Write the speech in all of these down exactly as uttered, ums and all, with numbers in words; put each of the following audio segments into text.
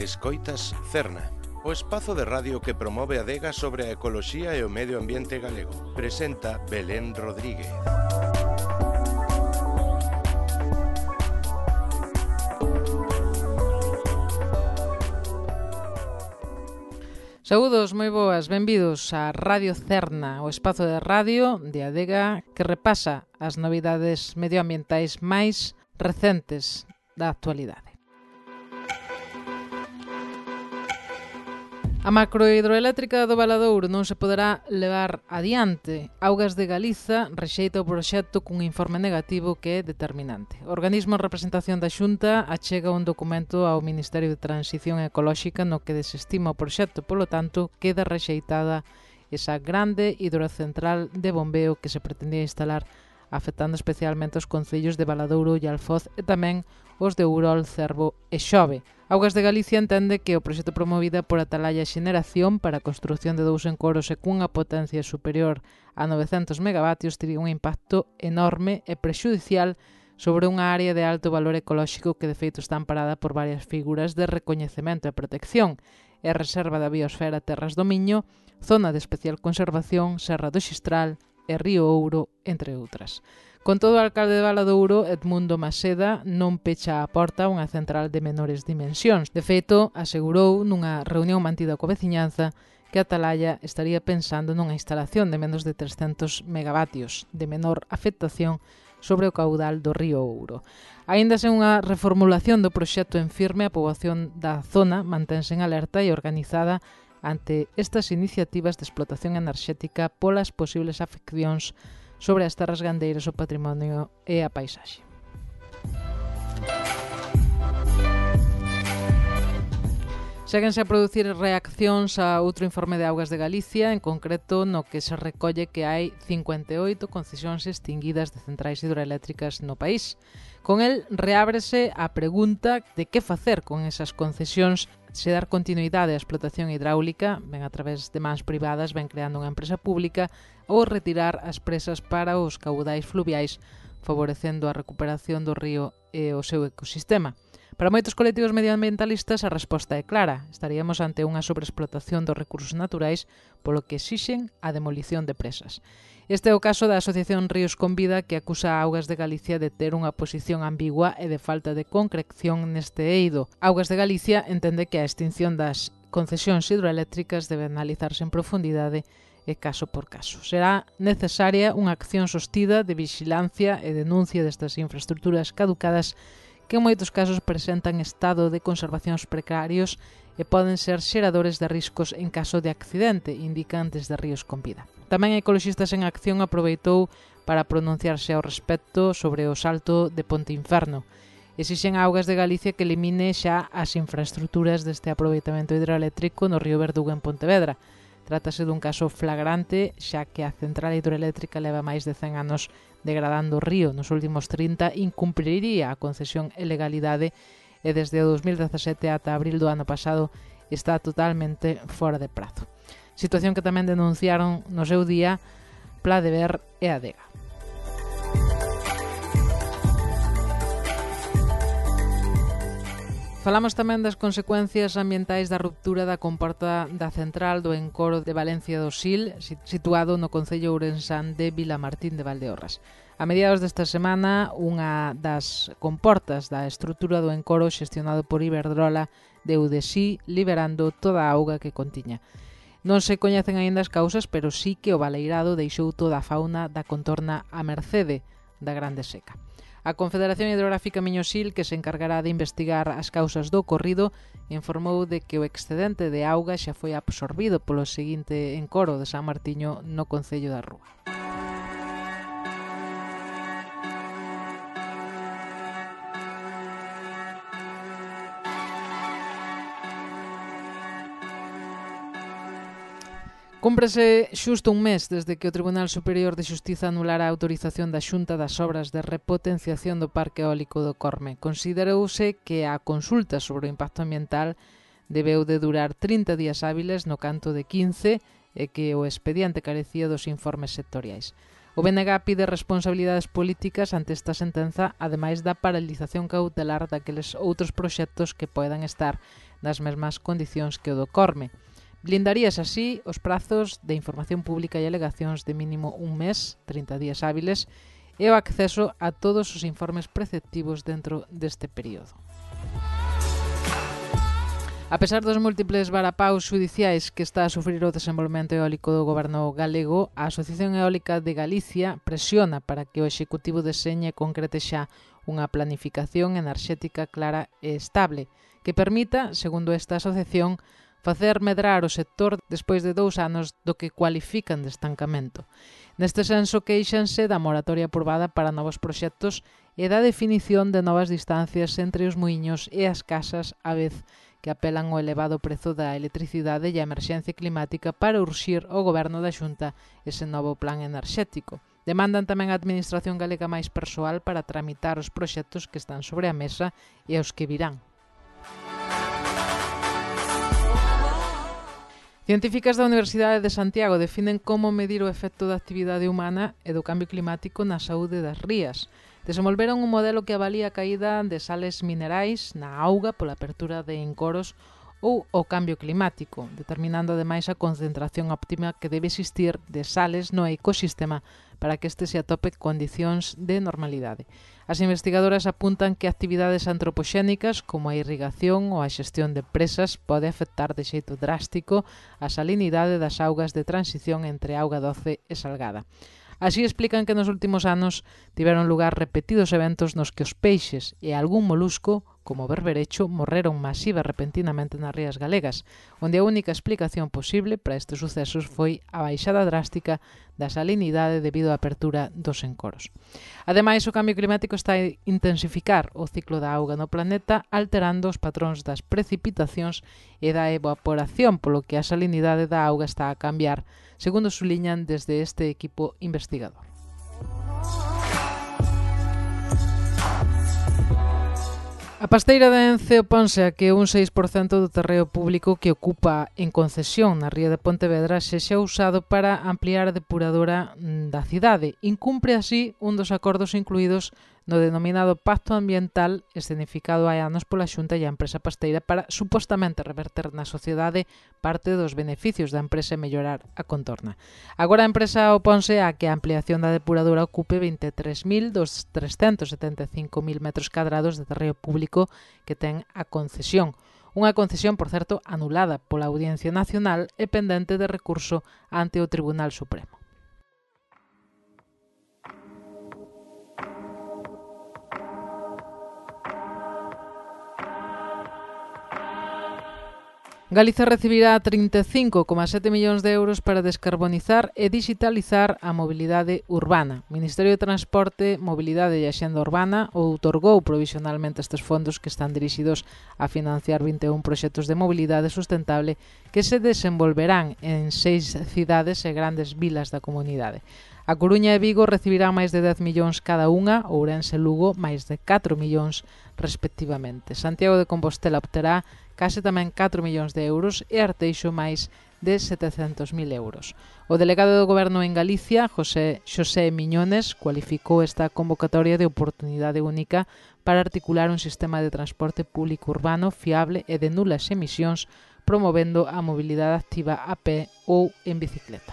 Escoitas Cerna, o espazo de radio que promove a adega sobre a ecoloxía e o medio ambiente galego. Presenta Belén Rodríguez. Saúdos, moi boas, benvidos a Radio Cerna, o espazo de radio de adega que repasa as novidades medioambientais máis recentes da actualidade. A macrohidroeléctrica do Valadouro non se poderá levar adiante. Augas de Galiza rexeita o proxecto cun informe negativo que é determinante. O organismo en representación da Xunta achega un documento ao Ministerio de Transición Ecolóxica no que desestima o proxecto, polo tanto, queda rexeitada esa grande hidrocentral de bombeo que se pretendía instalar, afectando especialmente os concellos de Valadouro e Alfoz e tamén os de Ourol, Cervo e Xove. Augas de Galicia entende que o proxecto promovida por Atalaya Xeneración para a construción de dous encoros e cunha potencia superior a novecentos megavatios tería un impacto enorme e prexudicial sobre unha área de alto valor ecolóxico que de feito está amparada por varias figuras de recoñecemento e protección e reserva da biosfera Terras do Miño, zona de especial conservación, Serra do Xistral e Río Ouro, entre outras. Con todo, o alcalde de Valadouro, Edmundo Maseda, non pecha a porta a unha central de menores dimensións. De feito, asegurou nunha reunión mantida coa veciñanza que Atalaya estaría pensando nunha instalación de menos de trescentos megavatios de menor afectación sobre o caudal do río Ouro. Aínda sen unha reformulación do proxecto en firme, a poboación da zona mantense en alerta e organizada ante estas iniciativas de explotación enerxética polas posibles afeccións sobre as terras gandeiras, o patrimonio e a paisaxe. Séguense a producir reaccións a outro informe de Augas de Galicia, en concreto no que se recolle que hai cincuenta e oito concesións extinguidas de centrais hidroeléctricas no país. Con el reábrese a pregunta de que facer con esas concesións, se dar continuidade á explotación hidráulica, ben a través de mans privadas, ben creando unha empresa pública, ou retirar as presas para os caudais fluviais, favorecendo a recuperación do río e o seu ecosistema. Para moitos colectivos medioambientalistas a resposta é clara. Estaríamos ante unha sobreexplotación dos recursos naturais, polo que exixen a demolición de presas. Este é o caso da Asociación Ríos con Vida, que acusa a Augas de Galicia de ter unha posición ambigua e de falta de concreción neste eido. Augas de Galicia entende que a extinción das concesións hidroeléctricas debe analizarse en profundidade e caso por caso. Será necesaria unha acción sostida de vixilancia e denuncia destas infraestructuras caducadas que en moitos casos presentan estado de conservacións precarios e poden ser xeradores de riscos en caso de accidente, indican desde Ríos con Vida. Tamén Ecoloxistas en Acción aproveitou para pronunciarse ao respecto sobre o salto de Ponte Inferno. Exixen a Augas de Galicia que elimine xa as infraestructuras deste aproveitamento hidroeléctrico no río Verdugo en Pontevedra. Trátase dun caso flagrante, xa que a central hidroeléctrica leva máis de cen anos degradando o río. Nos últimos trinta incumpriría a concesión e legalidade e desde o dos mil dezasete ata abril do ano pasado está totalmente fora de prazo. Situación que tamén denunciaron no seu día Pla de Ver e Adega. Falamos tamén das consecuencias ambientais da ruptura da comporta da central do encoro de Valencia do Sil, situado no concello ourensán de Vilamartín de Valdeorras. A mediados desta semana, unha das comportas da estrutura do encoro xestionado por Iberdrola deu de sí, liberando toda a auga que contiña. Non se coñecen aínda as causas, pero sí que o baleirado deixou toda a fauna da contorna a mercede da Grande Seca. A Confederación Hidrográfica Miño-Sil, que se encargará de investigar as causas do ocorrido, informou de que o excedente de auga xa foi absorbido polo seguinte encoro de San Martiño no concello da Rúa. Cúmprese xusto un mes desde que o Tribunal Superior de Xustiza anulara a autorización da Xunta das obras de repotenciación do Parque Eólico do Corme. Considerouse que a consulta sobre o impacto ambiental debeu de durar trinta días hábiles no canto de quince e que o expediente carecía dos informes sectoriais. O B N G pide responsabilidades políticas ante esta sentenza, ademais da paralización cautelar daqueles outros proxectos que poidan estar nas mesmas condicións que o do Corme. Blindaríase así os prazos de información pública e alegacións de mínimo un mes, trinta días hábiles, e o acceso a todos os informes preceptivos dentro deste período. A pesar dos múltiples varapaus xudiciais que está a sufrir o desenvolvemento eólico do goberno galego, a Asociación Eólica de Galicia presiona para que o Executivo deseñe e concrete xa unha planificación enerxética clara e estable, que permita, segundo esta asociación, facer medrar o sector despois de dous anos do que cualifican de estancamento. Neste senso, queixanse da moratoria aprobada para novos proxectos e da definición de novas distancias entre os muiños e as casas, a vez que apelan ao elevado prezo da electricidade e a emerxencia climática para urxir ao goberno da Xunta ese novo plan enerxético. Demandan tamén a Administración galega máis persoal para tramitar os proxectos que están sobre a mesa e aos que virán. Científicas da Universidade de Santiago definen como medir o efecto da actividade humana e do cambio climático na saúde das rías. Desenvolveron un modelo que avalía a caída de sales minerais na auga pola apertura de encoros ou o cambio climático, determinando ademais a concentración óptima que debe existir de sales no ecosistema para que este se atope condicións de normalidade. As investigadoras apuntan que actividades antropoxénicas como a irrigación ou a xestión de presas pode afectar de xeito drástico a salinidade das augas de transición entre auga doce e salgada. Así explican que nos últimos anos tiveron lugar repetidos eventos nos que os peixes e algún molusco, como o berberecho, morreron masiva repentinamente nas rías galegas, onde a única explicación posible para estes sucesos foi a baixada drástica da salinidade debido á apertura dos encoros. Ademais, o cambio climático está a intensificar o ciclo da auga no planeta, alterando os patróns das precipitacións e da evaporación, polo que a salinidade da auga está a cambiar, segundo suliñan desde este equipo investigador. A pasteira de Ence oponse a que un seis por cento do terreo público que ocupa en concesión na ría de Pontevedra sexa usado para ampliar a depuradora da cidade. Incumpre así un dos acordos incluídos no denominado Pacto Ambiental escenificado hai anos pola Xunta e a empresa pasteira para supostamente reverter na sociedade parte dos beneficios da empresa e mellorar a contorna. Agora a empresa oponse a que a ampliación da depuradora ocupe vinte e tres mil dos trescentos setenta e cinco mil metros cadrados de terreo público que ten a concesión. Unha concesión, por certo, anulada pola Audiencia Nacional e pendente de recurso ante o Tribunal Supremo. Galiza recibirá trinta e cinco coma sete millóns de euros para descarbonizar e digitalizar a mobilidade urbana. O Ministerio de Transporte, Mobilidade e Axenda Urbana outorgou provisionalmente estes fondos que están dirixidos a financiar vinte e un proxectos de mobilidade sustentable que se desenvolverán en seis cidades e grandes vilas da comunidade. A Coruña e Vigo recibirán máis de dez millóns cada unha, Ourense e Lugo máis de catro millóns respectivamente. Santiago de Compostela obterá case tamén catro millóns de euros e Arteixo máis de setecentos mil euros. O delegado do Goberno en Galicia, José Xosé Miñones, cualificou esta convocatoria de oportunidade única para articular un sistema de transporte público urbano fiable e de nulas emisións, promovendo a mobilidade activa a pé ou en bicicleta.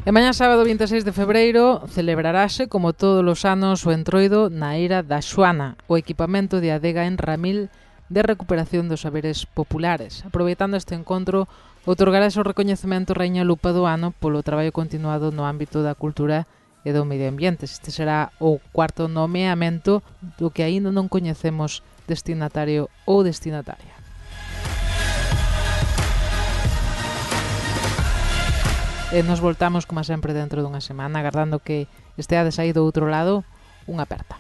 E mañá sábado vinte e seis de febreiro celebrarase, como todos os anos, o entroido na Eira da Xoana, o equipamento de adega en Ramil de recuperación dos saberes populares. Aproveitando este encontro, outorgarase o recoñecemento Raíña Lupa do ano polo traballo continuado no ámbito da cultura e do medio ambiente. Este será o cuarto nomeamento do que aínda non coñecemos destinatario ou destinataria. E nos voltamos, como sempre, dentro dunha semana, agardando que esteades aí do outro lado. Unha aperta.